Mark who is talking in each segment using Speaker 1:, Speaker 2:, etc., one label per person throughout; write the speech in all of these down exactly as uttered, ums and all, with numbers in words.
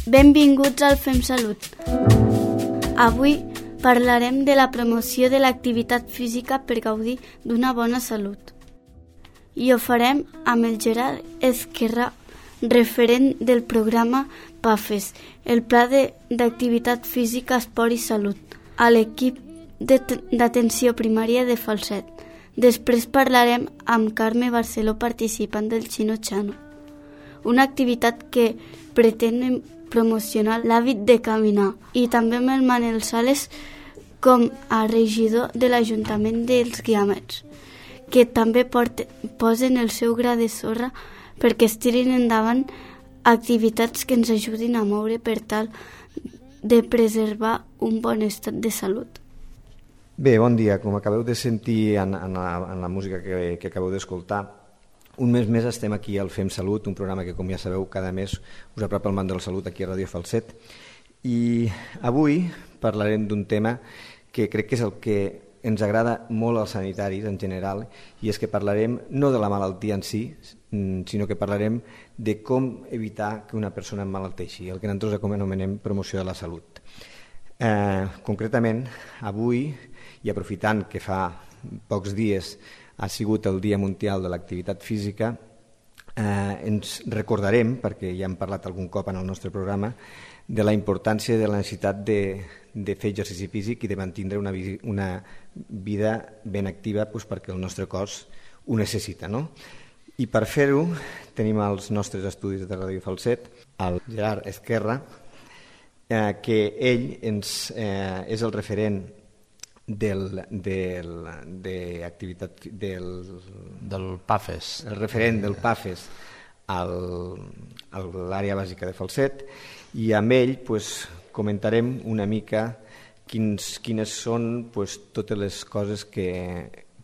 Speaker 1: Benvinguts al Fem Salut. Avui parlarem de la promoció de l'activitat física per gaudir d'una bona salut. I ho farem amb el Gerard Esquerra, referent del programa PAFES, el Pla d'Activitat Física, Esport i Salut, a l'equip d'atenció primària de Falset. Després parlarem amb Carme Barceló, participant del Xino Chano, una activitat que pretén promocionar l'hàbit de caminar, i també amb el Manel Sales com a regidor de l'Ajuntament dels Guiamets, que també porten, posen el seu gra de sorra perquè es tirin endavant activitats que ens ajudin a moure per tal de preservar un bon estat de salut.
Speaker 2: Bé, bon dia. Com acabeu de sentir en, en, la, en la música que, que acabeu d'escoltar, un mes més estem aquí al Fem Salut, un programa que, com ja sabeu, cada mes us apropa el món de la salut aquí a Ràdio Falset. I avui parlarem d'un tema que crec que és el que ens agrada molt als sanitaris en general, i és que parlarem no de la malaltia en si, sinó que parlarem de com evitar que una persona emmalalteixi, el que nosaltres anomenem promoció de la salut. Eh, concretament, avui, i aprofitant que fa pocs dies ha sigut el Dia Mundial de l'Activitat Física, eh, ens recordarem, perquè ja hem parlat algun cop en el nostre programa, de la importància de la necessitat de, de fer exercici físic i de mantenir una, una vida ben activa, doncs, perquè el nostre cos ho necessita, no? I per fer-ho tenim els nostres estudis de Ràdio Falset, el Gerard Esquerra, eh, que ell ens, eh, és el referent del, del, de activitat, del,
Speaker 3: del PAFES,
Speaker 2: el referent del PAFES al, a l'àrea bàsica de Falset, i amb ell pues, comentarem una mica quins, quines són pues, totes les coses que,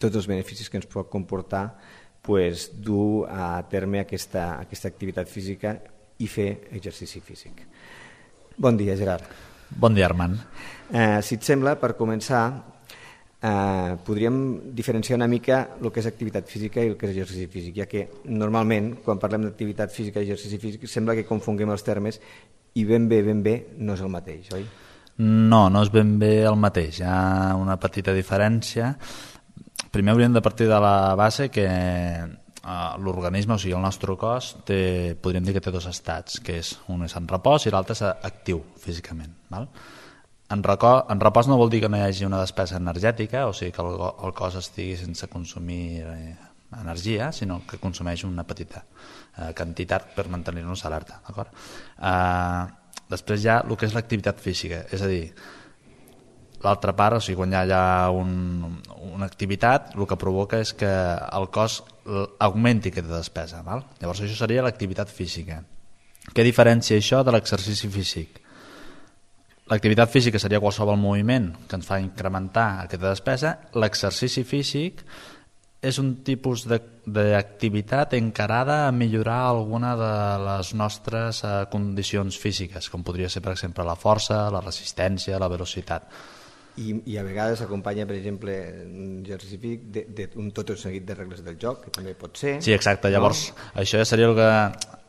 Speaker 2: tots els beneficis que ens pot comportar pues, dur a terme aquesta, aquesta activitat física i fer exercici físic. Bon dia, Gerard.
Speaker 3: Bon dia, Armand.
Speaker 2: Eh, si et sembla, per començar, eh, podríem diferenciar una mica el que és activitat física i el que és exercici físic, ja que normalment, quan parlem d'activitat física i exercici físic, sembla que confonguem els termes i ben bé, ben bé, no és el mateix, oi?
Speaker 3: No, no és ben bé el mateix. Hi ha una petita diferència. Primer hauríem de partir de la base que l'organisme, o sigui, el nostre cos, té, podríem dir que té dos estats, que és un és en repòs i l'altre és actiu físicament. Val? En, reco, en repòs no vol dir que no hi hagi una despesa energètica, o sigui que el, el cos estigui sense consumir eh, energia, sinó que consumeix una petita eh, quantitat per mantenir-nos alerta. D'acord? Eh, després hi ha el que és l'activitat física, és a dir, l'altra part, o sigui, quan hi ha un, una activitat, el que provoca és que el cos augmenti aquesta despesa. Val? Llavors això seria l'activitat física. Què diferencia això de l'exercici físic? L'activitat física seria qualsevol moviment que ens fa incrementar aquesta despesa. L'exercici físic és un tipus d'activitat encarada a millorar alguna de les nostres eh, condicions físiques, com podria ser, per exemple, la força, la resistència, la velocitat.
Speaker 2: I, i a vegades s'acompanya, per exemple, un exercici físic d'un tot un seguit de regles del joc, que també pot ser.
Speaker 3: Sí, exacte. Llavors, no? Això ja seria el que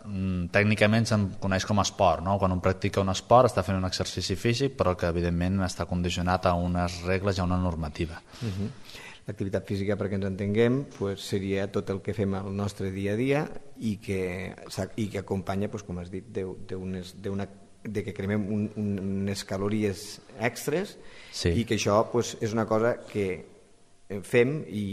Speaker 3: mm, tècnicament se'n coneix com a esport, no? Quan un practica un esport està fent un exercici físic, però que evidentment està condicionat a unes regles i a una normativa. Uh-huh.
Speaker 2: L'activitat física, perquè ens entenguem, pues, seria tot el que fem al nostre dia a dia i que, i que acompanya, pues, com has dit, d'una de que cremem un, un, unes calories extres, sí. I que això pues, és una cosa que fem i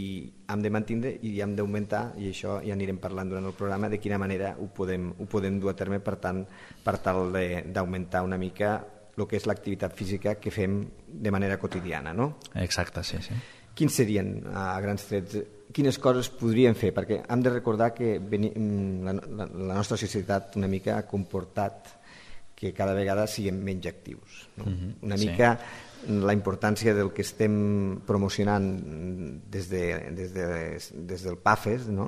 Speaker 2: hem de mantenir i hem d'augmentar, i això ja anirem parlant durant el programa de quina manera ho podem, ho podem dur a terme per, tant, per tal d'augmentar una mica el que és l'activitat física que fem de manera quotidiana, no?
Speaker 3: Exacte, sí, sí.
Speaker 2: Quins serien, a grans trets, quines coses podríem fer? Perquè hem de recordar que la, la, la nostra societat una mica ha comportat que cada vegada siguem menys actius. No? Uh-huh, una mica sí. La importància del que estem promocionant des, de, des, de, des del PAFES, no?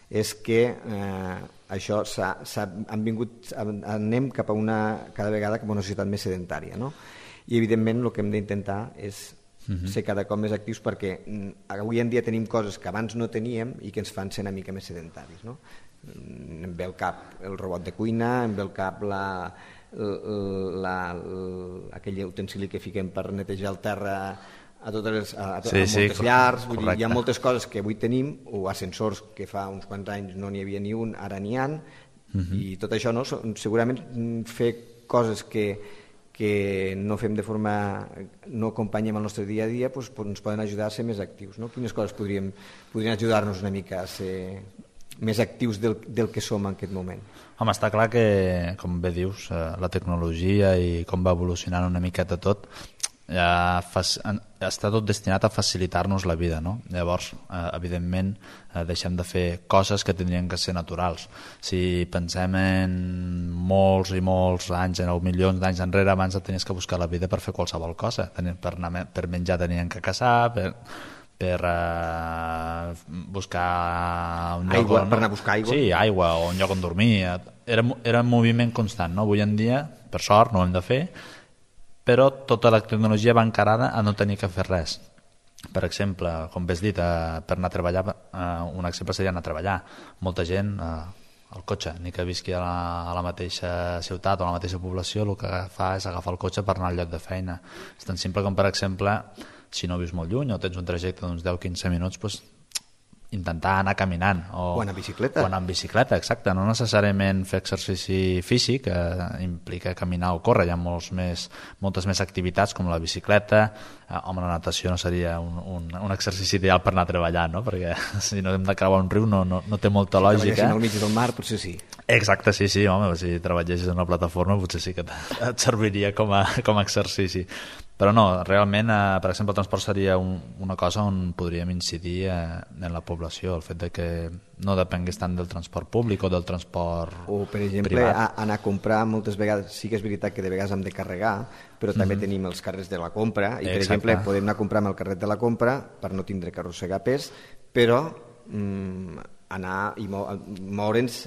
Speaker 2: És que eh, això s'ha, s'ha, han vingut, anem cap a una, cada vegada cap a una societat més sedentària. No? I evidentment el que hem d'intentar és uh-huh. ser cada cop més actius, perquè avui en dia tenim coses que abans no teníem i que ens fan ser una mica més sedentaris. No? Em ve al cap el robot de cuina, em ve al cap la... la, la, aquell utensili que fiquem per netejar el terra a totes les, a, a,
Speaker 3: sí,
Speaker 2: a
Speaker 3: sí,
Speaker 2: moltes llars, vull dir, hi ha
Speaker 3: correcte.
Speaker 2: moltes coses que avui tenim, o ascensors que fa uns quants anys no n'hi havia ni un, ara n'hi ha, uh-huh. i tot això, no? Segurament fer coses que, que no fem de forma, no acompanyem el nostre dia a dia, doncs, ens poden ajudar a ser més actius, no? Quines coses podríem, podrien ajudar-nos una mica a ser més actius del, del que som en aquest moment?
Speaker 3: Home, està clar que, com bé dius, la tecnologia i com va evolucionant una miqueta tot, ja està tot destinat a facilitar-nos la vida, no? Llavors, eh, evidentment, eh, deixem de fer coses que tindrien que ser naturals. Si pensem en molts i molts anys, en milions d'anys enrere, abans tenies que buscar la vida per fer qualsevol cosa. Per, anar, per menjar tenien que caçar, per, per uh, buscar un lloc
Speaker 2: aigua,
Speaker 3: on...
Speaker 2: per anar a buscar aigua.
Speaker 3: Sí, aigua, o un lloc on dormir. Era, era un moviment constant, no? Avui en dia, per sort, no ho hem de fer, però tota la tecnologia va encarada a no tenir que fer res. Per exemple, com bé has dit, eh, per anar a treballar, eh, un exemple seria anar a treballar. Molta gent, eh, el cotxe, ni que visqui a la, a la mateixa ciutat o a la mateixa població, el que fa és agafar el cotxe per anar al lloc de feina. És tan simple com, per exemple, si no vius molt lluny o tens un trajecte d'uns deu a quinze minuts, doncs, intentar anar caminant o,
Speaker 2: o anar en bicicleta,
Speaker 3: o anar en bicicleta, exacte, no necessàriament fer exercici físic, que implica caminar o córrer, hi ha molts més, moltes més activitats com la bicicleta, eh, home, la natació no seria un, un, un exercici ideal per anar a treballar, no? Perquè si no hem de creuar un riu no, no, no té molta
Speaker 2: si
Speaker 3: lògica. Si
Speaker 2: treballéssim al mig del mar potser sí.
Speaker 3: Exacte, sí, sí, home, si treballessis en una plataforma potser sí que et serviria com a, com a exercici. Però no, realment, eh, per exemple, el transport seria un, una cosa on podríem incidir eh, en la població, el fet de que no depengués tant del transport públic o del transport
Speaker 2: o, per exemple,
Speaker 3: privat.
Speaker 2: A, anar a comprar moltes vegades, sí que és veritat que de vegades hem de carregar, però també mm-hmm. tenim els carrers de la compra, i per
Speaker 3: Exacte.
Speaker 2: exemple podem anar a comprar amb el carret de la compra per no tindre que arrossegar pes, però mm, anar i moure'ns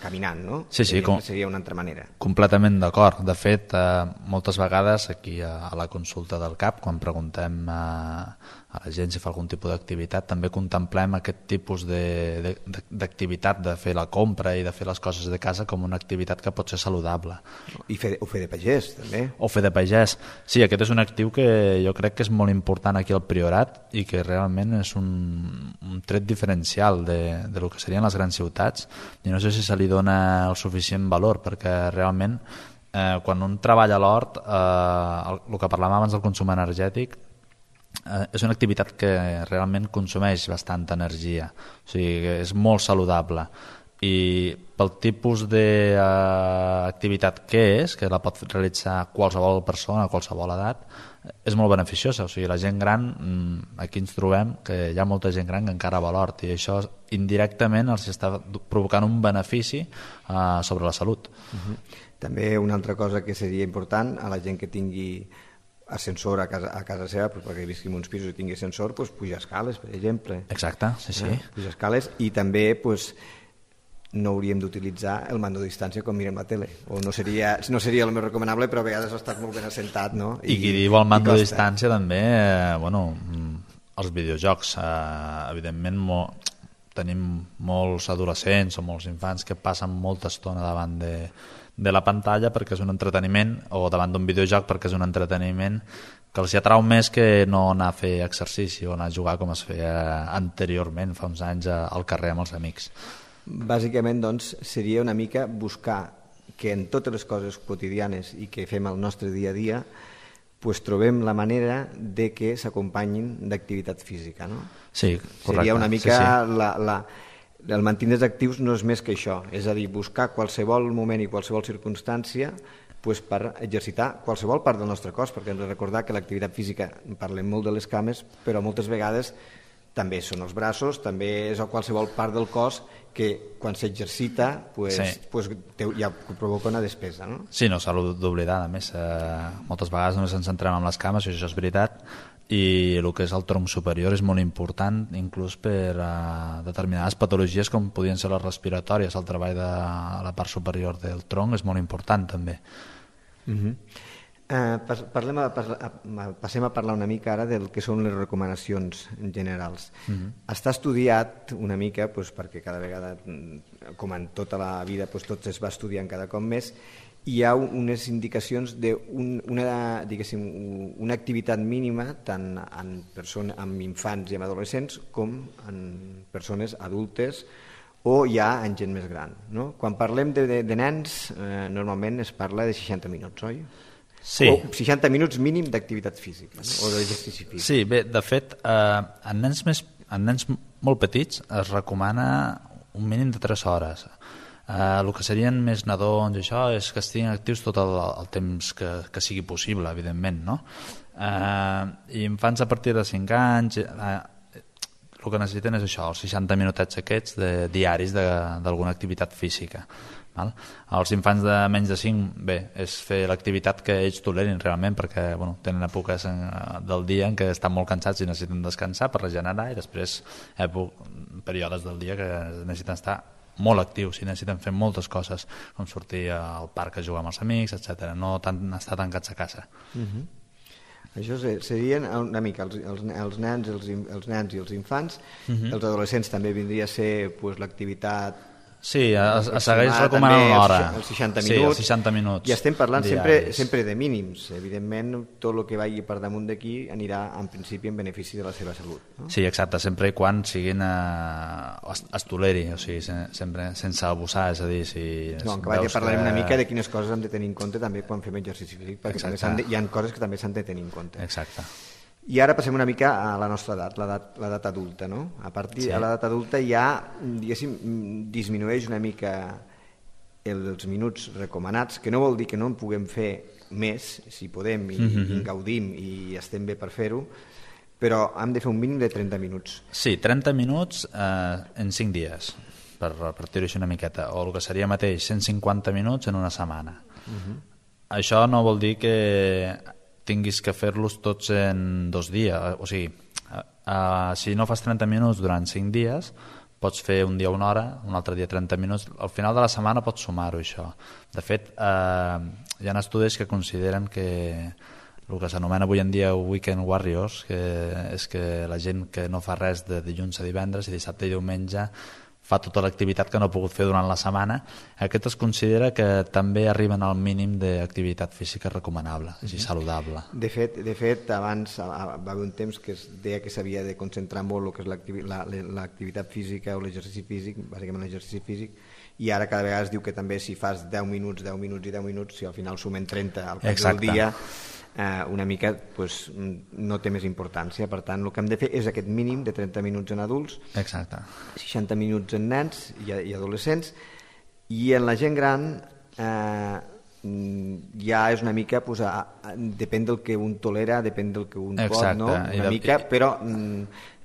Speaker 2: caminant, no?
Speaker 3: Sí, sí, com...
Speaker 2: seria una altra manera.
Speaker 3: Completament d'acord. De fet, eh, moltes vegades aquí a, a la consulta del C A P, quan preguntem eh, a la gent si fa algun tipus d'activitat, també contemplem aquest tipus d'activitat, de, de, de fer la compra i de fer les coses de casa com una activitat que pot ser saludable.
Speaker 2: I fer, o fer de pagès, també.
Speaker 3: O fer de pagès. Sí, aquest és un actiu que jo crec que és molt important aquí al Priorat i que realment és un, un tret diferencial de, de lo que serien les grans ciutats, i no sé si se li dona el suficient valor, perquè realment eh, quan un treballa a l'hort, eh, el, el que parlàvem abans del consum energètic, eh, és una activitat que realment consumeix bastanta energia, o sigui que és molt saludable, i pel tipus d'activitat que és, que la pot realitzar qualsevol persona a qualsevol edat, és molt beneficiosa. O sigui, la gent gran, aquí ens trobem que hi ha molta gent gran que encara va a l'hort, i això indirectament els està provocant un benefici eh, sobre la salut.
Speaker 2: Uh-huh. També una altra cosa que seria important a la gent que tingui ascensor a casa, a casa seva, pues, perquè visqui en uns pisos i tingui ascensor, pues, pujar escales, per exemple.
Speaker 3: Exacte, sí, sí.
Speaker 2: Eh? Pujar escales, i també pues, no hauríem d'utilitzar el mando a distància quan mirem la tele, o no seria, no seria el més recomanable, però a vegades ha estat molt ben assentat, no?
Speaker 3: I, I qui diu el mando a distància també, eh, bueno, els videojocs, eh, evidentment mo, tenim molts adolescents o molts infants que passen molta estona davant de, de la pantalla perquè és un entreteniment, o davant d'un videojoc perquè és un entreteniment que els atrau més que no anar a fer exercici o anar a jugar com es feia anteriorment, fa uns anys, al carrer amb els amics.
Speaker 2: Bàsicament, doncs, seria una mica buscar que en totes les coses quotidianes i que fem al nostre dia a dia pues, trobem la manera de que s'acompanyin d'activitat física, no?
Speaker 3: Sí, correcte.
Speaker 2: Seria una mica
Speaker 3: sí, sí.
Speaker 2: La, la, el mantenir actius no és més que això, és a dir, buscar qualsevol moment i qualsevol circumstància pues, per exercitar qualsevol part del nostre cos, perquè hem de recordar que l'activitat física, parlem molt de les cames, però moltes vegades també són els braços, també és qualsevol part del cos que quan s'exercita pues, sí. pues, ja provoca una despesa, no?
Speaker 3: Sí, no s'ha d'oblidar, a més, eh, moltes vegades només ens centrem en les cames, i això és veritat, i el que és el tronc superior és molt important, inclús per uh, determinades patologies com podien ser les respiratòries. El treball de la part superior del tronc és molt important també.
Speaker 2: Uh-huh. Uh, parlem a, a, passem a parlar una mica ara del que són les recomanacions generals. Uh-huh. Està estudiat una mica, pues, perquè cada vegada, com en tota la vida, pues, tot es va estudiant cada cop més, hi ha unes indicacions d'una diguéssim, una activitat mínima tant en, persones, en infants i en adolescents com en persones adultes o ja en gent més gran. No? Quan parlem de, de, de nens, eh, normalment es parla de seixanta minuts, oi?
Speaker 3: Sí.
Speaker 2: O seixanta minuts mínim d'activitat física, no? O d'exercici físic.
Speaker 3: Sí, bé, de fet, eh, en, nens més, en nens molt petits es recomana un mínim de tres hores. Uh, el que serien més nadons i això és que estiguin actius tot el, el temps que, que sigui possible, evidentment, no? Uh, i infants a partir de cinc anys uh, el que necessiten és això, els seixanta minutets aquests de, diaris d'alguna activitat física, val? Els infants de menys de cinc, bé, és fer l'activitat que ells tolerin realment, perquè bueno, tenen èpoques en, del dia en què estan molt cansats i necessiten descansar per regenerar, i després èpoques, períodes del dia que necessiten estar molt actius i necessiten fer moltes coses, com sortir al parc a jugar amb els amics, etcètera. No tant estar tancats a casa.
Speaker 2: Uh-huh. Això serien una mica els, els, els, nens, els, els nens i els infants. Uh-huh. Els adolescents també vindria a ser pues, l'activitat...
Speaker 3: Sí, es, es segueix recomanant l'hora.
Speaker 2: Els seixanta minuts.
Speaker 3: Sí, els seixanta minuts.
Speaker 2: I estem parlant sempre, sempre de mínims. Evidentment, tot el que vagi per damunt d'aquí anirà, en principi, en benefici de la seva salut. No?
Speaker 3: Sí, exacte, sempre i quan siguin eh, es, es toleri, o sigui, se, sempre sense abusar, és a dir... Si
Speaker 2: no, en acabat ja parlarem que... una mica de quines coses hem de tenir en compte també quan fem exercici físic, perquè també de, hi ha coses que també s'han de tenir en compte.
Speaker 3: Exacte.
Speaker 2: I ara passem una mica a la nostra edat, l'edat adulta, no? A partir de sí. l'edat adulta ja, diguéssim, disminueix una mica els minuts recomanats, que no vol dir que no en puguem fer més, si podem, i, mm-hmm. i gaudim i estem bé per fer-ho, però hem de fer un mínim de trenta minuts.
Speaker 3: Sí, trenta minuts eh, en cinc dies, per repartir-ho així una miqueta, o el que seria mateix, cent cinquanta minuts en una setmana. Mm-hmm. Això no vol dir que tinguis que fer-los tots en dos dies, o sigui, uh, si no fas trenta minuts durant cinc dies, pots fer un dia una hora, un altre dia trenta minuts, al final de la setmana pots sumar-ho això. De fet, uh, hi ha estudis que consideren que el que s'anomena avui en dia weekend warriors, que és que la gent que no fa res de dilluns a divendres i dissabte i diumenge fa tota l'activitat que no ha pogut fer durant la setmana, aquest es considera que també arriben al mínim d'activitat física recomanable, és a dir, saludable.
Speaker 2: De fet, de fet abans va haver un temps que es deia que s'havia de concentrar molt el que és l'activitat física o l'exercici físic, bàsicament l'exercici físic, i ara cada vegada es diu que també si fas deu minuts, deu minuts i deu minuts, si al final sumen trenta al cap
Speaker 3: Exacte.
Speaker 2: del dia, eh, una mica pues, no té més importància. Per tant, el que hem de fer és aquest mínim de trenta minuts en adults,
Speaker 3: Exacte.
Speaker 2: seixanta minuts en nens i, i adolescents, i en la gent gran eh, ja és una mica, pues, a, a, depèn del que un tolera, depèn del que un
Speaker 3: Exacte.
Speaker 2: pot, no? Una
Speaker 3: de...
Speaker 2: mica, però,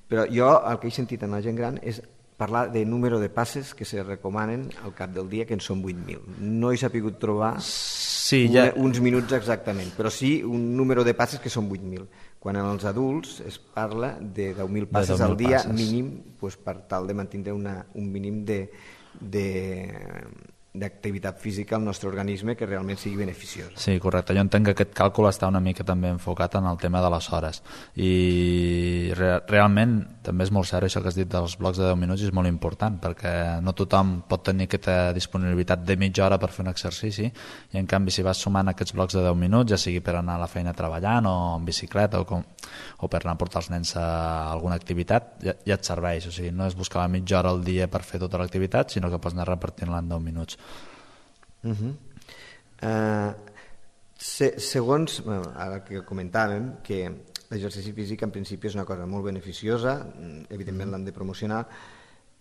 Speaker 2: però jo el que he sentit en la gent gran és parlar de número de passes que se recomanen al cap del dia, que en són vuit mil. No he sapigut trobar
Speaker 3: sí, ja...
Speaker 2: una, uns minuts exactament, però sí un número de passes que són vuit mil. Quan en els adults es parla de deu mil passes al dia passes. mínim, pues, per tal de mantenir una, un mínim de, de, d'activitat física al nostre organisme que realment sigui beneficiosa.
Speaker 3: Sí, correcte. Jo entenc que aquest càlcul està una mica també enfocat en el tema de les hores i re realment també és molt cert això que has dit dels blocs de deu minuts, és molt important perquè no tothom pot tenir aquesta disponibilitat de mitja hora per fer un exercici i en canvi si vas sumant aquests blocs de deu minuts, ja sigui per anar a la feina treballant o en bicicleta o, com, o per anar a portar els nens a alguna activitat, ja, ja et serveix. O sigui, no és buscar la mitja hora al dia per fer tota l'activitat, sinó que pots anar repartint-la en deu minuts.
Speaker 2: Uh -huh. uh, se, segons bueno, ara que comentàvem que l'exercici físic en principi és una cosa molt beneficiosa, evidentment l'hem de promocionar,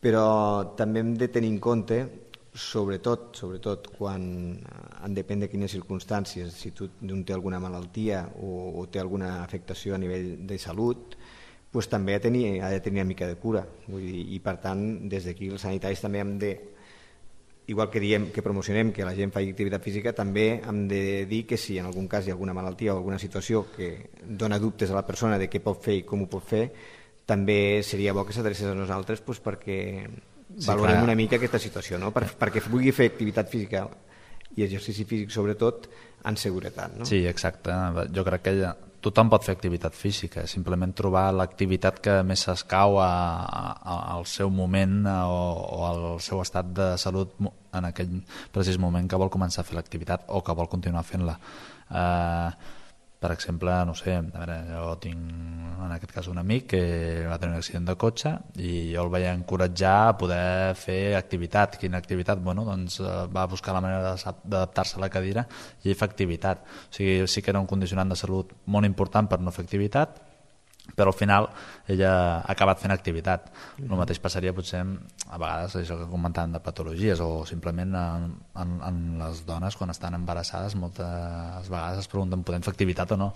Speaker 2: però també hem de tenir en compte, sobretot sobretot quan en depèn de quines circumstàncies, si tu un té alguna malaltia o, o té alguna afectació a nivell de salut, pues també ha de tenir, ha de tenir una mica de cura. Vull dir, i per tant des d'aquí els sanitaris també hem de, igual que diem que promocionem que la gent faci activitat física, també hem de dir que si en algun cas hi ha alguna malaltia o alguna situació que dona dubtes a la persona de què pot fer i com ho pot fer, també seria bo que s'adrecés a nosaltres pues, perquè sí, valorem clar. una mica aquesta situació, no? per, perquè vulgui fer activitat física i exercici físic sobretot en seguretat. No?
Speaker 3: Sí, exacte. Jo crec que ella tothom pot fer activitat física, simplement trobar l'activitat que més s'escau a, a, al seu moment o, o al seu estat de salut en aquell precís moment que vol començar a fer l'activitat o que vol continuar fent-la. Eh, per exemple, no sé, a veure, jo tinc en aquest cas un amic que va tenir un accident de cotxe i jo el vaig encoratjar a poder fer activitat. Quina activitat? Bueno, doncs va buscar la manera d'adaptar-se a la cadira i fer activitat. O sigui, sí que era un condicionant de salut molt important per no fer activitat, però al final ella ha acabat fent activitat. El mateix passaria potser a vegades això que comentàvem de patologies o simplement en, en, en les dones quan estan embarassades moltes vegades es pregunten podem fer activitat o no.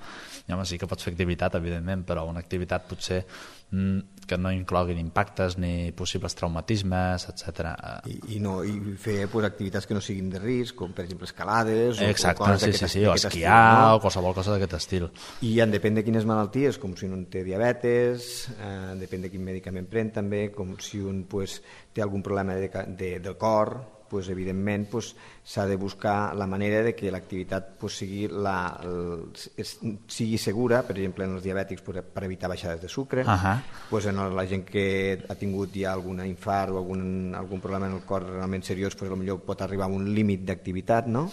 Speaker 3: I home, sí que pots fer activitat evidentment, però una activitat potser que no incloguin impactes ni possibles traumatismes, etcètera.
Speaker 2: I, i, no, i fer pues, activitats que no siguin de risc, com per exemple escalades o,
Speaker 3: exacte,
Speaker 2: o coses
Speaker 3: sí,
Speaker 2: d'aquest
Speaker 3: sí, sí, o esquiar
Speaker 2: estil, no?
Speaker 3: O qualsevol cosa d'aquest estil.
Speaker 2: I en depèn de quines malalties, com si un té diabetes, eh, depèn de quin medicament pren també, com si un pues, té algun problema de, de, del cor, pues, evidentment pues, s'ha de buscar la manera de que l'activitat pues, sigui, la, el, sigui segura, per exemple en els diabètics pues, per evitar baixades de sucre,
Speaker 3: uh-huh.
Speaker 2: pues, en la gent que ha tingut ja algun infart o algun, algun problema en el cor realment seriós, pues, potser pot arribar a un límit d'activitat, no?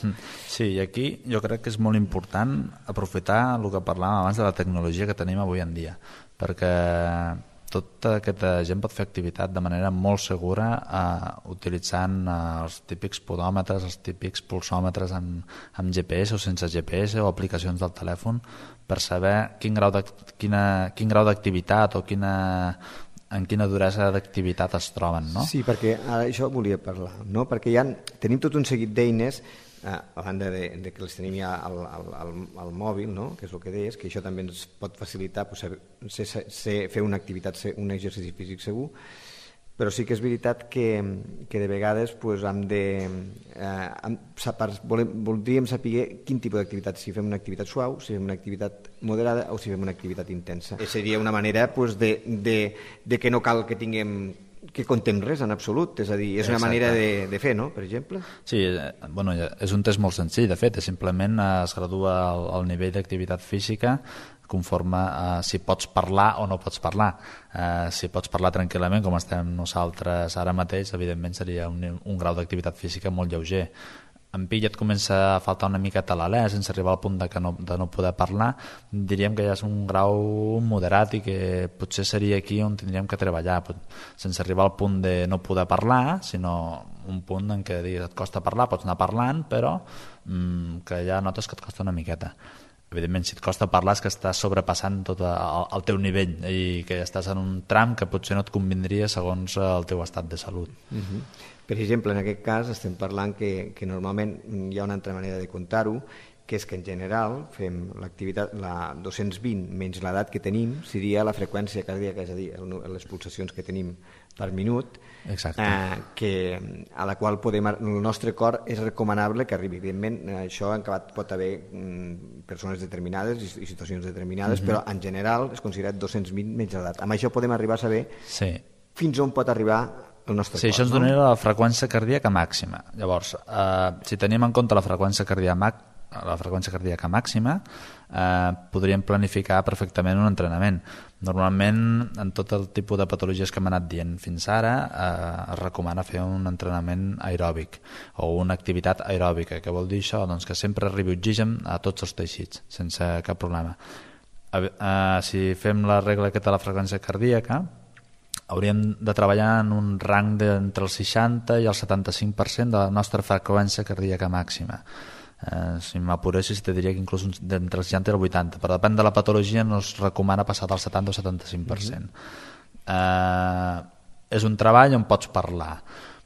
Speaker 3: Sí, i aquí jo crec que és molt important aprofitar el que parlàvem abans de la tecnologia que tenim avui en dia, perquè tota aquesta gent pot fer activitat de manera molt segura eh, utilitzant eh, els típics podòmetres, els típics pulsòmetres amb, amb G P S o sense G P S o aplicacions del telèfon per saber quin grau de, quina, quin grau d'activitat o quina, en quina duresa d'activitat es troben, no?
Speaker 2: Sí, perquè ara això volia parlar, no? Perquè ja tenim tot un seguit d'eines Eh, a banda de, de que les tenim ja al, al, al, al mòbil, no? Que és el que deies, que això també ens pot facilitar pues, ser, ser, fer una activitat, un exercici físic segur, però sí que és veritat que, que de vegades pues, hem de, eh, volem, voldríem saber quin tipus d'activitat, si fem una activitat suau, si fem una activitat moderada o si fem una activitat intensa. I seria una manera pues, de, de, de que no cal que tinguem que contem res en absolut, és a dir, és una Exacte. manera de, de fer, no?, per exemple.
Speaker 3: Sí, bueno, és un test molt senzill, de fet, simplement es gradua el, el nivell d'activitat física conforme a si pots parlar o no pots parlar. Eh, si pots parlar tranquil·lament, com estem nosaltres ara mateix, evidentment seria un, un grau d'activitat física molt lleuger. En Pi ja et comença a faltar una miqueta l'alè sense arribar al punt de, que no, de no poder parlar, diríem que ja és un grau moderat i que potser seria aquí on tindríem que treballar, sense arribar al punt de no poder parlar, sinó un punt en què digues, et costa parlar, pots anar parlant, però mmm, que ja notes que et costa una miqueta. Evidentment, si et costa parlar és que estàs sobrepassant tot el, el teu nivell i que estàs en un tram que potser no et convindria segons el teu estat de salut.
Speaker 2: Uh-huh. Per exemple, en aquest cas estem parlant que, que normalment hi ha una altra manera de comptar-ho, que és que en general fem l'activitat, la dos-cents vint menys l'edat que tenim, seria la freqüència cardíaca, és a dir, les pulsacions que tenim per minut,
Speaker 3: Exacte.
Speaker 2: Eh, que, a la qual podem, el nostre cor és recomanable que arribi. Evidentment, això en acabat pot haver mm, persones determinades i, i situacions determinades, uh-huh. però en general és considerat dos-cents vint menys l'edat. Amb això podem arribar a saber
Speaker 3: sí. fins
Speaker 2: on pot arribar el nostre
Speaker 3: sí,
Speaker 2: cor.
Speaker 3: Això ens donaria no? la freqüència cardíaca màxima. Llavors, eh, si tenim en compte la freqüència cardíaca, la freqüència cardíaca màxima, eh, podríem planificar perfectament un entrenament. Normalment, en tot el tipus de patologies que hem anat dient fins ara, eh, es recomana fer un entrenament aeròbic o una activitat aeròbica. Què vol dir això? Doncs que sempre arribi oxigen a tots els teixits, sense cap problema. Eh, eh, si fem la regla aquesta de la freqüència cardíaca, hauríem de treballar en un rang d'entre el seixanta i el setanta-cinc per cent de la nostra freqüència cardíaca màxima. Eh, si m'apuressis te diria que inclús d'entre el seixanta i el vuitanta, però depèn de la patologia no es recomana passar del setanta o setanta-cinc per cent. Eh, és un treball on pots parlar.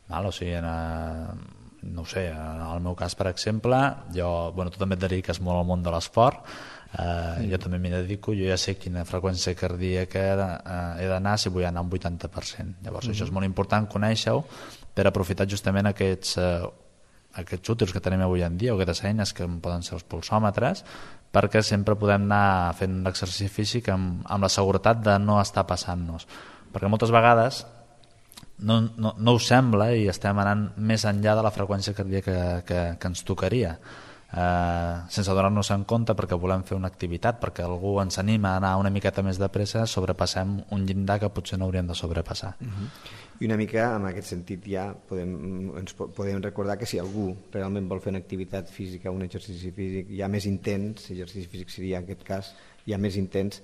Speaker 3: Val? O sigui, en, eh, no ho sé, en el meu cas, per exemple, jo, bueno, tu també et dediques molt al món de l'esport, Uh, sí. jo també m'hi dedico, jo ja sé quina freqüència cardíaca he, uh, he d'anar si vull anar a un vuitanta per cent. Llavors uh-huh. això és molt important conèixer-ho per aprofitar justament aquests, uh, aquests útils que tenim avui en dia o aquestes eines que poden ser els pulsòmetres, perquè sempre podem anar fent l'exercici físic amb, amb la seguretat de no estar passant-nos, perquè moltes vegades no, no, no us sembla i estem anant més enllà de la freqüència cardíaca que, que, que ens tocaria. eh, sense donar-nos en compte, perquè volem fer una activitat, perquè algú ens anima a anar una miqueta més de pressa, sobrepassem un llindar que potser no hauríem de sobrepassar.
Speaker 2: Uh-huh. I una mica en aquest sentit ja podem, ens podem recordar que si algú realment vol fer una activitat física, un exercici físic ja més intens, exercici físic seria en aquest cas ja més intens,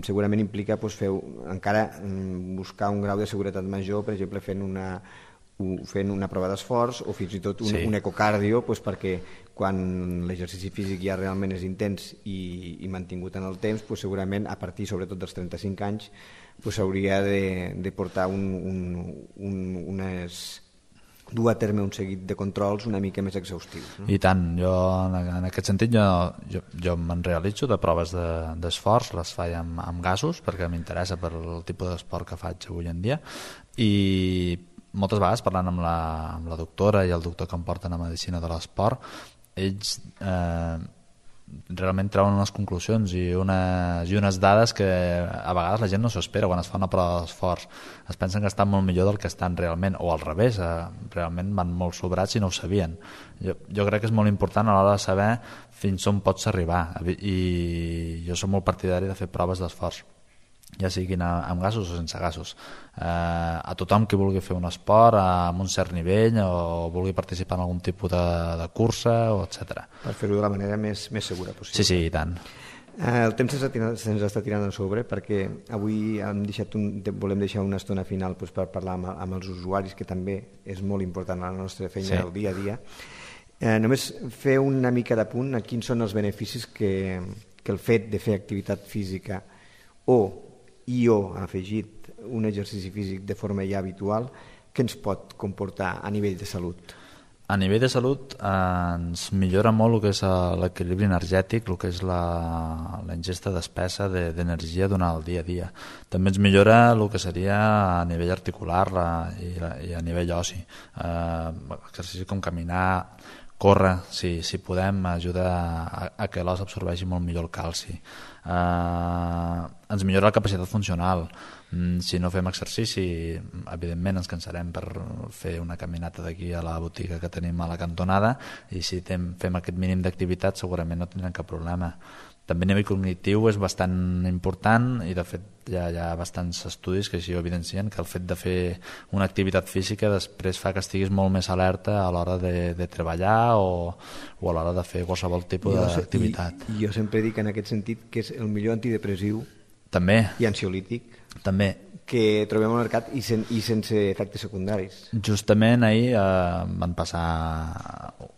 Speaker 2: segurament implica doncs, fer, encara buscar un grau de seguretat major, per exemple fent una, fent una prova d'esforç o fins i tot un, sí. un ecocardio, doncs, perquè quan l'exercici físic ja realment és intens i, i mantingut en el temps, doncs, segurament a partir sobretot dels trenta-cinc anys s'hauria pues, de, de portar un, un, un, unes, dur a terme un seguit de controls una mica més exhaustius. No?
Speaker 3: I tant, jo en aquest sentit jo, jo, jo me'n realitzo de proves d'esforç, de, les faig amb, amb gasos perquè m'interessa per el tipus d'esport que faig avui en dia, i moltes vegades parlant amb la, amb la doctora i el doctor que em porten a Medicina de l'Esport, ells eh, realment treuen unes conclusions i unes, i unes dades que a vegades la gent no s'ho espera quan es fa una prova d'esforç. Es pensen que estan molt millor del que estan realment, o al revés, eh, realment van molt sobrats i no ho sabien. Jo, jo crec que és molt important a l'hora de saber fins on pots arribar, i jo soc molt partidari de fer proves d'esforç, ja siguin amb gasos o sense gasos. Eh, a tothom que vulgui fer un esport amb un cert nivell o vulgui participar en algun tipus de, de cursa, o etcètera.
Speaker 2: Per fer-ho de la manera més, més segura possible.
Speaker 3: Sí, sí, i tant.
Speaker 2: Eh, el temps se'ns està tirant a sobre perquè avui hem deixat un, volem deixar una estona final doncs, per parlar amb, amb els usuaris, que també és molt important a la nostra feina, sí. del dia a dia. Eh, només fer una mica de punt a quins són els beneficis que, que el fet de fer activitat física o i o ha afegit un exercici físic de forma ja habitual, que ens pot comportar a nivell de salut?
Speaker 3: A nivell de salut eh, ens millora molt el que és l'equilibri energètic, el que és la, la ingesta d'espessa d'energia durant el dia a dia. També ens millora el que seria a nivell articular la, i, la, i a nivell oci. Eh, exercicis com caminar, córrer, si, si podem, ajuda a, a que l'os absorbeixi molt millor el calci. Eh, ens millora la capacitat funcional. Si no fem exercici, evidentment ens cansarem per fer una caminata d'aquí a la botiga que tenim a la cantonada, i si tem, fem aquest mínim d'activitat segurament no tindrem cap problema. També a nivell cognitiu és bastant important, i de fet ja hi ha bastants estudis que així ho evidencien, que el fet de fer una activitat física després fa que estiguis molt més alerta a l'hora de, de treballar o, o a l'hora de fer qualsevol tipus d'activitat.
Speaker 2: I, I jo sempre dic en aquest sentit que és el millor antidepressiu
Speaker 3: també
Speaker 2: i ansiolític
Speaker 3: també
Speaker 2: que trobem al mercat, i, sen, i sense efectes secundaris.
Speaker 3: Justament ahir eh, van passar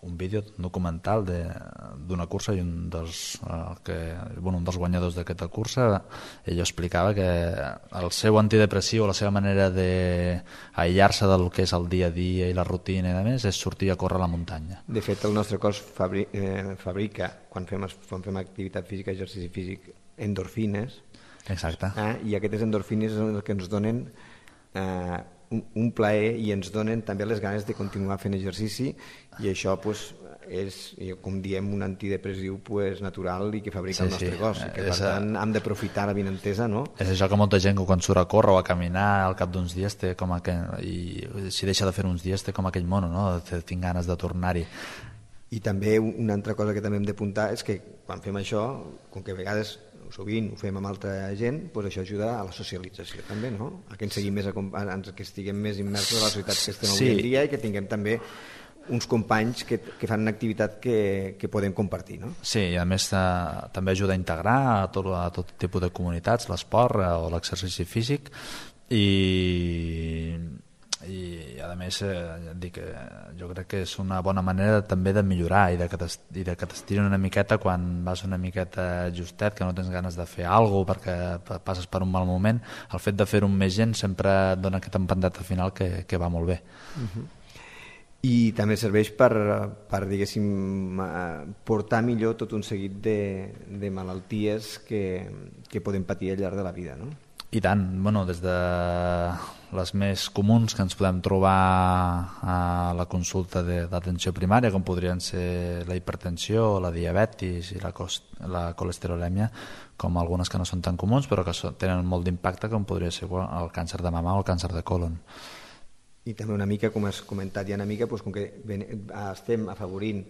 Speaker 3: un vídeo, un documental d'una cursa, i un dels, eh, que, bueno, un dels guanyadors d'aquesta cursa, ell explicava que el seu antidepressiu, la seva manera d'aïllar-se del que és el dia a dia i la rutina i a més, és sortir a córrer a la muntanya.
Speaker 2: De fet, el nostre cos fabri, eh, fabrica, quan fem, quan fem activitat física, exercici físic, endorfines.
Speaker 3: Exacte.
Speaker 2: Eh? I aquestes endorfines són el que ens donen eh, un, un plaer, i ens donen també les ganes de continuar fent exercici, i això pues, és, com diem, un antidepressiu pues, natural i que fabrica sí, el nostre sí. cos, i que per tant hem d'aprofitar la benentesa, no?
Speaker 3: És això que molta gent que quan surt a córrer o a caminar al cap d'uns dies té com aquell, i si deixa de fer uns dies té com aquell mono, no? Tinc ganes de tornar-hi.
Speaker 2: I també una altra cosa que també hem d'apuntar és que quan fem això, com que a vegades sovint ho fem amb altra gent, doncs això ajuda a la socialització també, no? A que ens seguim més, a, que estiguem més immersos a la societat que estem avui sí. en dia, i que tinguem també uns companys que, que fan una activitat que, que podem compartir, no?
Speaker 3: Sí, i a més eh, també ajuda a integrar a tot, a tot tipus de comunitats l'esport eh, o l'exercici físic, i i a més eh, dic, eh, jo crec que és una bona manera també de millorar i de que t'estirin una miqueta quan vas una miqueta justet, que no tens ganes de fer alguna cosa perquè passes per un mal moment. El fet de fer-ho amb més gent sempre et dona aquest empentat al final que, que va molt bé.
Speaker 2: Uh-huh. I també serveix per, per diguéssim, portar millor tot un seguit de, de malalties que, que podem patir al llarg de la vida, no?
Speaker 3: I tant, bueno, des de les més comuns que ens podem trobar a la consulta d'atenció primària, com podrien ser la hipertensió, la diabetis i la, la colesterolèmia, com algunes que no són tan comuns però que tenen molt d'impacte, com podria ser el càncer de mama o el càncer de còlon.
Speaker 2: I també una mica, com has comentat ja una mica, doncs com que estem afavorint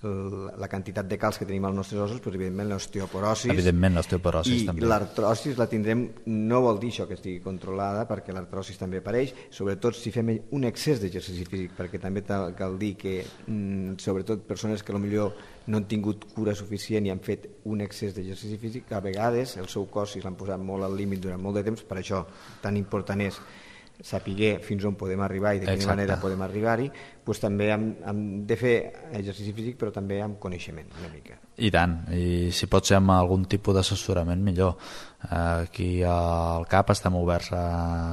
Speaker 2: la quantitat de calç que tenim als nostres ossos, doncs, evidentment l'osteoporosis.
Speaker 3: Evidentment l'osteoporosis
Speaker 2: I
Speaker 3: també.
Speaker 2: l'artrosis la tindrem, no vol dir això que estigui controlada, perquè l'artrosis també apareix, sobretot si fem un excés d'exercici físic, perquè també cal dir que, sobretot persones que potser no han tingut cura suficient i han fet un excés d'exercici físic, a vegades el seu cos, si l'han posat molt al límit durant molt de temps, per això tan important és saber fins on podem arribar i de quina
Speaker 3: Exacte.
Speaker 2: manera podem arribar-hi, doncs també hem, hem de fer exercici físic, però també amb coneixement una mica.
Speaker 3: I tant, i si pot ser amb algun tipus d'assessorament millor. Aquí al CAP estem oberts a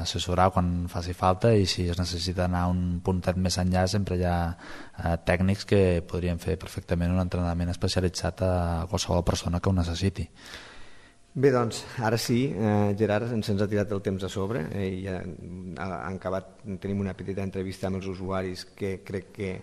Speaker 3: assessorar quan faci falta, i si es necessita anar un puntet més enllà sempre hi ha tècnics que podrien fer perfectament un entrenament especialitzat a qualsevol persona que ho necessiti.
Speaker 2: Bé, doncs, ara sí, eh, Gerard, ens ha tirat el temps a sobre, eh, i ja han acabat, tenim una petita entrevista amb els usuaris que crec que,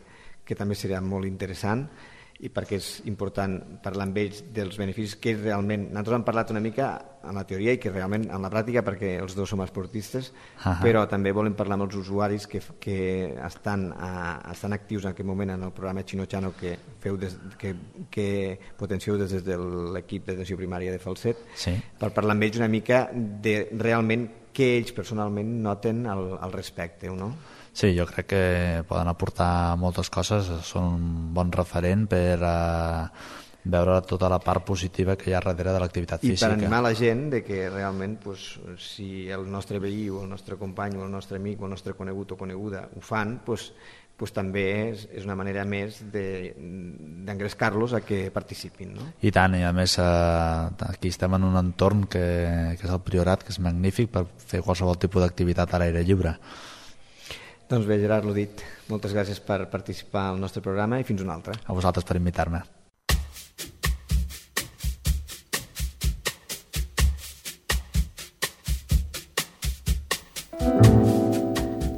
Speaker 2: que també serà molt interessant, i perquè és important parlar amb ells dels beneficis que realment, nosaltres hem parlat una mica en la teoria i que realment en la pràctica, perquè els dos som esportistes, uh-huh. però també volem parlar amb els usuaris que, que estan, a, estan actius en aquest moment en el programa Chino-Chano que, feu des, que, que potencieu des de l'equip d'atenció primària de Falset,
Speaker 3: sí.
Speaker 2: per parlar amb ells una mica de realment què ells personalment noten al, al respecte, no?
Speaker 3: Sí, jo crec que poden aportar moltes coses, són un bon referent per eh, veure tota la part positiva que hi ha darrere de l'activitat física.
Speaker 2: I per animar la gent de que realment doncs, si el nostre veí o el nostre company o el nostre amic o el nostre conegut o coneguda ho fan, doncs, doncs també és, és una manera més d'engrescar-los a que participin. No?
Speaker 3: I tant, i a més eh, aquí estem en un entorn que, que és el Priorat, que és magnífic per fer qualsevol tipus d'activitat a l'aire lliure.
Speaker 2: Doncs bé, Gerard, l'ho dit, moltes gràcies per participar al nostre programa i fins una altra.
Speaker 3: A vosaltres per invitar-me.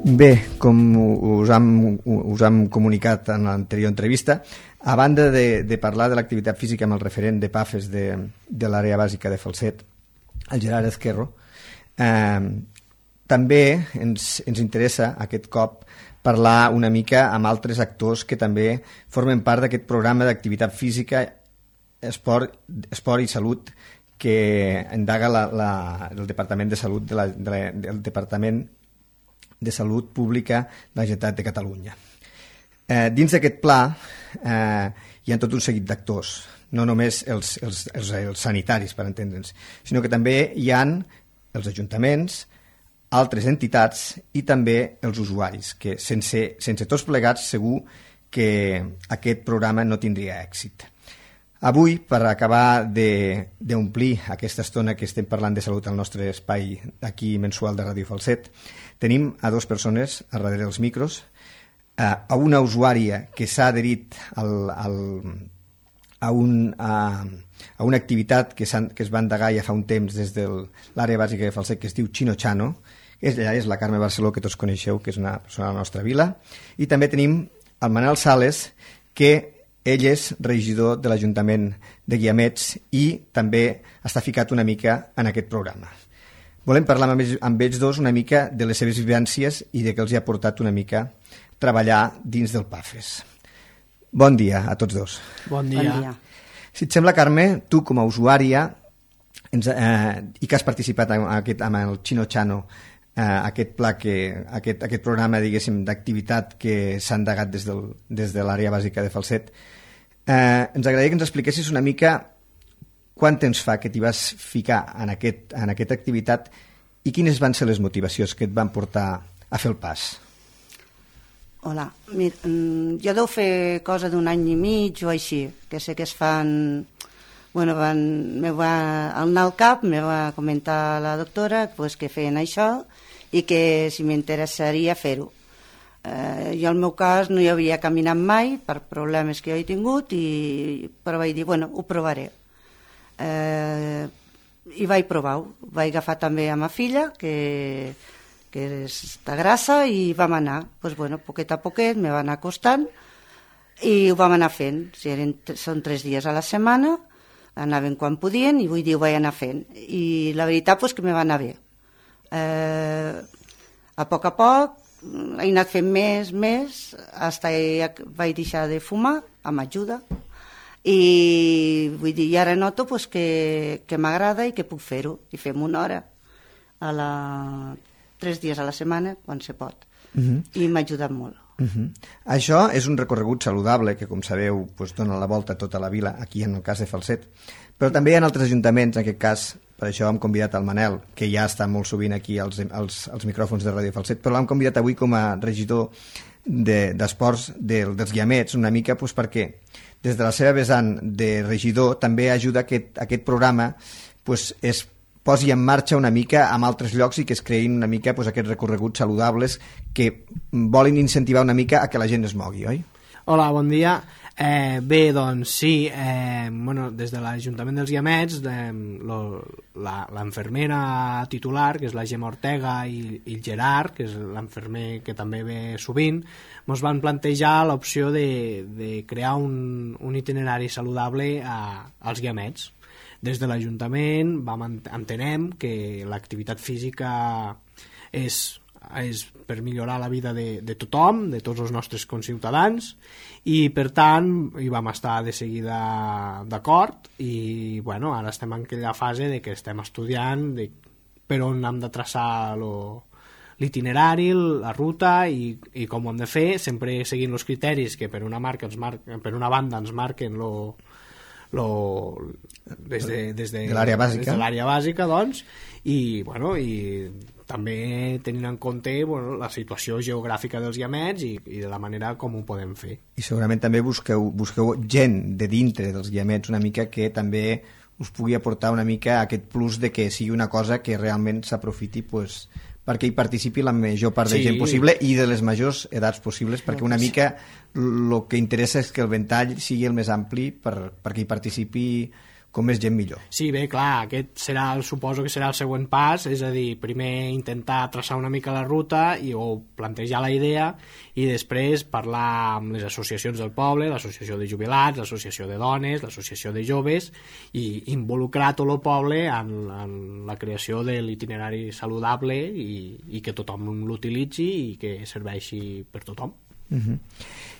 Speaker 2: Bé, com us hem, us hem comunicat en l'anterior entrevista, a banda de, de parlar de l'activitat física amb el referent de PAFES de, de l'àrea bàsica de Falset, el Gerard Ezquerro, eh, també ens, ens interessa aquest cop parlar una mica amb altres actors que també formen part d'aquest programa d'activitat física, esport, esport i salut que indaga la, la, el Departament de Salut de la, de la, del Departament de Salut Pública de la Generalitat de Catalunya. Eh, dins d'aquest pla eh, hi ha tot un seguit d'actors, no només els, els, els, els sanitaris, per entendre'ns, sinó que també hi han els ajuntaments, altres entitats i també els usuaris, que sense, sense tots plegats segur que aquest programa no tindria èxit. Avui, per acabar d'omplir aquesta estona que estem parlant de salut al nostre espai aquí mensual de Ràdio Falset, tenim a dues persones a darrere dels micros, a una usuària que s'ha adherit al, al, a, un, a, a una activitat que, que es va endegar ja fa un temps des de l'àrea bàsica de Falset, que es diu Chino-Chano. Ella és la Carme Barceló, que tots coneixeu, que és una persona de la nostra vila, i també tenim el Manel Sales, que ell és regidor de l'Ajuntament de Guiamets i també està ficat una mica en aquest programa. Volem parlar amb ells, amb ells dos una mica de les seves vivències i de què els ha portat una mica treballar dins del PAFES. Bon dia a tots dos.
Speaker 4: Bon dia. Bon dia.
Speaker 2: Si et sembla, Carme, tu com a usuària ens, eh, i que has participat en aquest, amb el Chino-Chano, Uh, aquest pla, que, aquest, aquest programa diguéssim d'activitat que s'ha endegat des, del, des de l'àrea bàsica de Falset, uh, ens agradaria que ens expliquessis una mica quant temps fa que t'hi vas ficar en, aquest, en aquesta activitat i quines van ser les motivacions que et van portar a fer el pas.
Speaker 5: Hola, mira, jo deu fer cosa d'un any i mig o així, que sé que es fan... Bueno, van, me va anar al cap, me va comentar la doctora pues, que feien això i que si m'interessaria fer-ho. Eh, jo al meu cas no hi havia caminat mai per problemes que jo he tingut, i, però vaig dir, bueno, ho provaré. Eh, I vaig provar-ho. Vaig agafar també a ma filla, que, que està grassa, i vam anar. Pues, bueno, poquet a poquet me va anar costant i ho vam anar fent. Si eren, són tres dies a la setmana, anaven quan podien i vull dir ho vaig anar fent, i la veritat és que me va anar bé. Eh, a poc a poc he anat fent més, més, fins que vaig deixar de fumar, amb ajuda, i vull dir, i ara noto pues, que, que m'agrada i que puc fer-ho, i fem una hora a la... tres dies a la setmana, quan se pot, uh-huh. i m'ha ajudat molt.
Speaker 2: Uh-huh. Això és un recorregut saludable que, com sabeu, pues, dona la volta a tota la vila, aquí en el cas de Falset, però també hi ha altres ajuntaments, en aquest cas, per això hem convidat el Manel, que ja està molt sovint aquí als, als, als micròfons de Ràdio Falset, però l'hem convidat avui com a regidor d'esports de, de, dels Guiamets, una mica pues, perquè des de la seva vessant de regidor també ajuda que aquest, aquest programa pues, es posi en marxa una mica amb altres llocs i que es creïn una mica pues, aquests recorreguts saludables que volen incentivar una mica a que la gent es mogui, oi?
Speaker 4: Hola, bon dia. Eh, bé, doncs sí, eh, bueno, des de l'Ajuntament dels Guiamets, eh, l'enfermera titular, que és la Gemma Ortega, i, i el Gerard, que és l'enfermer que també ve sovint, ens van plantejar l'opció de, de crear un, un itinerari saludable a, als Guiamets. Des de l'Ajuntament vam entenem que l'activitat física és, és per millorar la vida de, de tothom, de tots els nostres conciutadans, i per tant hi vam estar de seguida d'acord i bueno, ara estem en aquella fase de que estem estudiant de per on hem de traçar l'itinerari, la ruta i, i com ho hem de fer, sempre seguint els criteris que per una, marca ens mar, per una banda ens marquen lo Lo, des de, des de,
Speaker 2: de l'àrea bàsica,
Speaker 4: des de l'àrea bàsica doncs, i, bueno, i també tenint en compte bueno, la situació geogràfica dels Guiamets i, i de la manera com ho podem fer.
Speaker 2: I segurament també busqueu, busqueu gent de dintre dels Guiamets una mica que també us pugui aportar una mica aquest plus de que sigui una cosa que realment s'aprofiti pues, perquè hi participi la major part de sí. gent possible i de les majors edats possibles, perquè una mica el que interessa és que el ventall sigui el més ampli per, perquè hi participi com més gent millor.
Speaker 4: Sí, bé, clar, aquest serà, el, suposo que serà el següent pas, és a dir, primer intentar traçar una mica la ruta i, o plantejar la idea i després parlar amb les associacions del poble, l'associació de jubilats, l'associació de dones, l'associació de joves i involucrar tot el poble en, en la creació de l'itinerari saludable i, i que tothom l'utilitzi i que serveixi per tothom.
Speaker 2: Uh-huh.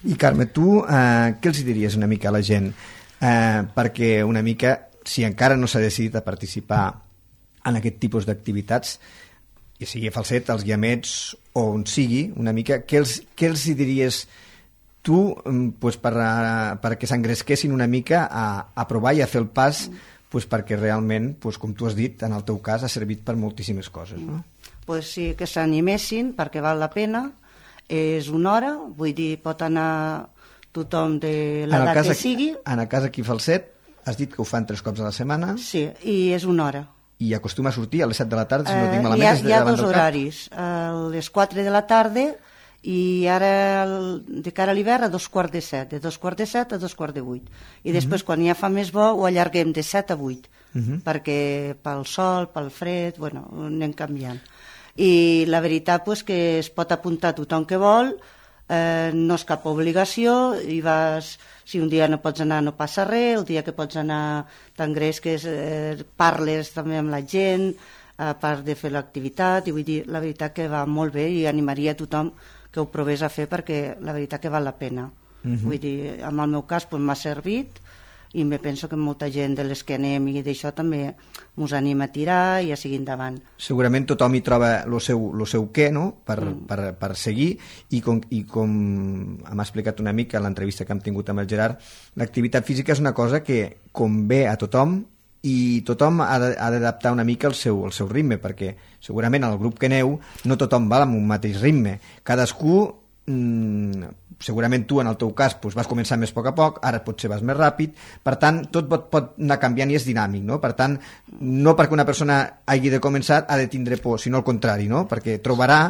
Speaker 2: I Carme, tu eh, què els diries una mica a la gent? Eh, perquè una mica, si encara no s'ha decidit a participar en aquest tipus d'activitats, ja sigui a Falset, als Guiamets o on sigui, una mica, què els, què els diries tu pues, per, perquè s'engresquessin una mica a, a provar i a fer el pas pues, perquè realment, pues, com tu has dit, en el teu cas ha servit per moltíssimes coses, no?
Speaker 5: Pues sí, que s'animessin perquè val la pena, és una hora, vull dir, pot anar tothom de l'edat que
Speaker 2: aquí,
Speaker 5: sigui.
Speaker 2: En el cas aquí a Falset, has dit que ho fan tres cops a la setmana.
Speaker 5: Sí, i és una hora.
Speaker 2: I acostuma a sortir a les set de la tarda, si
Speaker 5: eh,
Speaker 2: no tinc malament.
Speaker 5: Hi ha,
Speaker 2: és de
Speaker 5: hi ha
Speaker 2: davant
Speaker 5: dos horaris, a les quatre de la tarda i ara de cara a l'hivern a dos quarts de set, de dos quarts de set a dos quarts de vuit. I després, uh-huh. quan ja fa més bo, ho allarguem de set a vuit, uh-huh. perquè pel sol, pel fred, bueno, anem canviant. I la veritat pues, que es pot apuntar tothom que vol, eh, no és cap obligació, i vas, si un dia no pots anar no passa res, el dia que pots anar t'engresques, eh, parles també amb la gent, a part de fer l'activitat, i vull dir, la veritat que va molt bé i animaria a tothom que ho provés a fer perquè la veritat que val la pena. Uh-huh. Vull dir, en el meu cas pues, m'ha servit i me penso que molta gent de les que anem i d'això també ens anima a tirar i a seguir endavant.
Speaker 2: Segurament tothom hi troba el seu, lo seu què, no?, per, mm. per, per seguir, i com, i com hem explicat una mica en l'entrevista que hem tingut amb el Gerard, l'activitat física és una cosa que convé a tothom i tothom ha d'adaptar una mica el seu, el seu ritme, perquè segurament al grup que aneu no tothom va amb un mateix ritme, cadascú mmm, segurament tu en el teu cas doncs, vas començar més a poc a poc, ara potser vas més ràpid, per tant tot pot, pot anar canviant i és dinàmic, no? Per tant no perquè una persona hagi de començar ha de tindre por, sinó al contrari, no? Perquè trobarà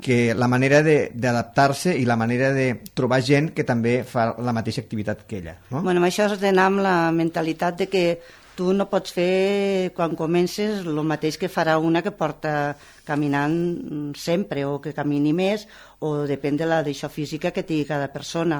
Speaker 2: que la manera d'adaptar-se i la manera de trobar gent que també fa la mateixa activitat que ella, no?
Speaker 5: Bueno, això has d'anar amb la mentalitat de que tu no pots fer quan comences el mateix que farà una que porta caminant sempre o que camini més o depèn de la d'això física que tingui cada persona.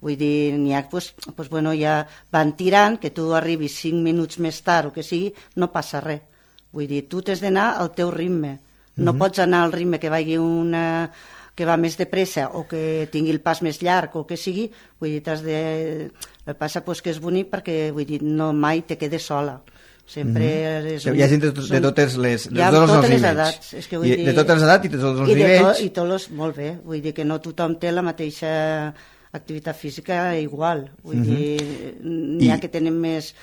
Speaker 5: Vull dir, n'hi ha pues, pues, bueno, ja van tirant, que tu arribis cinc minuts més tard o que sigui, no passa res. Vull dir, tu t'has d'anar al teu ritme. No mm-hmm. pots anar al ritme que vagi una que va més de pressa o que tingui el pas més llarg o que sigui, vull dir, t'has de... El que passa pues, que és bonic perquè, vull dir, no mai te quedes sola. Sempre mm-hmm. és un...
Speaker 2: Hi ha gent de, tot, de totes les, de
Speaker 5: hi ha
Speaker 2: tots
Speaker 5: totes
Speaker 2: els
Speaker 5: les
Speaker 2: nivells.
Speaker 5: edats. És que vull
Speaker 2: I,
Speaker 5: dir...
Speaker 2: de totes les edats i de tots els
Speaker 5: I de
Speaker 2: nivells.
Speaker 5: To, I tots els... Molt bé. Vull dir que no tothom té la mateixa activitat física igual. Vull mm-hmm. dir, n'hi ha I... que tenen més,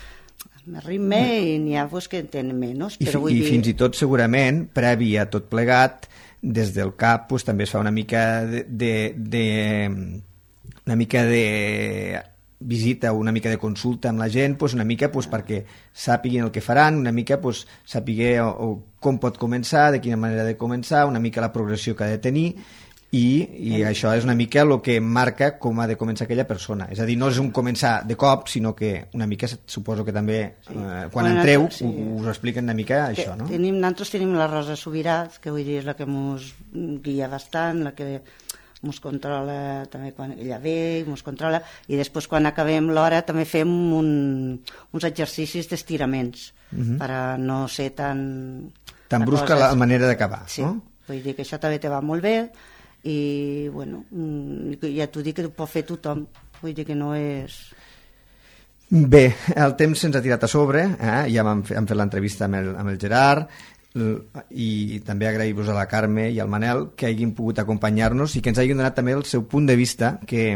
Speaker 5: més ritme mm. i n'hi ha pues, que en tenen menys.
Speaker 2: I,
Speaker 5: però vull
Speaker 2: i
Speaker 5: dir...
Speaker 2: fins i tot segurament, previ a tot plegat, des del cap pues, també es fa una mica de... de, de una mica de visita o una mica de consulta amb la gent, pues una mica pues, perquè sàpiguin el que faran, una mica pues, sàpigue o, o com pot començar, de quina manera de començar, una mica la progressió que ha de tenir i, i això és una mica el que marca com ha de començar aquella persona. És a dir, no és un començar de cop, sinó que una mica suposo que també sí. eh, quan bueno, entreu sí. us expliquen una mica això, no?
Speaker 5: Tenim, nosaltres tenim la Rosa Subirats, que vull dir és la que ens guia bastant, la que ens controla també quan ella ve, ens controla, i després quan acabem l'hora també fem un, uns exercicis d'estiraments uh-huh. per a no ser tan...
Speaker 2: Tan brusca la manera d'acabar,
Speaker 5: sí.
Speaker 2: no?
Speaker 5: Vull dir que això també te va molt bé i, bueno, ja t'ho dic que ho pot fer tothom, vull dir que no és...
Speaker 2: Bé, el temps se'ns ha tirat a sobre, eh? Ja hem fet, hem fet l'entrevista amb el, amb el Gerard, i també agrair-vos a la Carme i al Manel que hagin pogut acompanyar-nos i que ens hagin donat també el seu punt de vista, que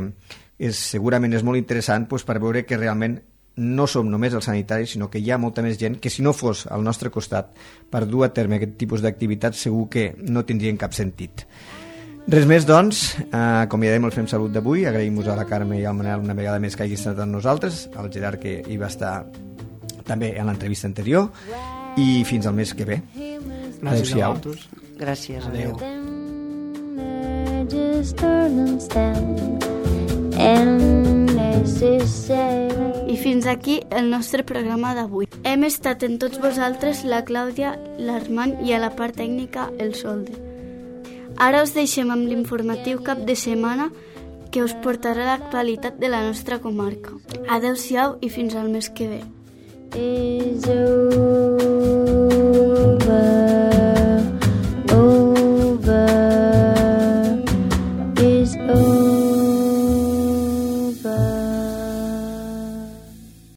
Speaker 2: és, segurament és molt interessant pues, per veure que realment no som només els sanitaris, sinó que hi ha molta més gent que si no fos al nostre costat per dur a terme aquest tipus d'activitats segur que no tindrien cap sentit. Res més, doncs, eh, acomiadem el Fem Salut d'avui, agraïm-vos a la Carme i al Manel una vegada més que hagi estat amb nosaltres, al Gerard que hi va estar també en l'entrevista anterior, i fins al mes que ve.
Speaker 4: Gràcies a vosaltres.
Speaker 5: Gràcies. Adéu.
Speaker 1: I fins aquí el nostre programa d'avui. Hem estat en tots vosaltres la Clàudia, l'Armand i a la part tècnica el Solde. Ara us deixem amb l'informatiu cap de setmana que us portarà l'actualitat de la nostra comarca. Adéu-siau i fins al mes que ve. Is over, over, is over.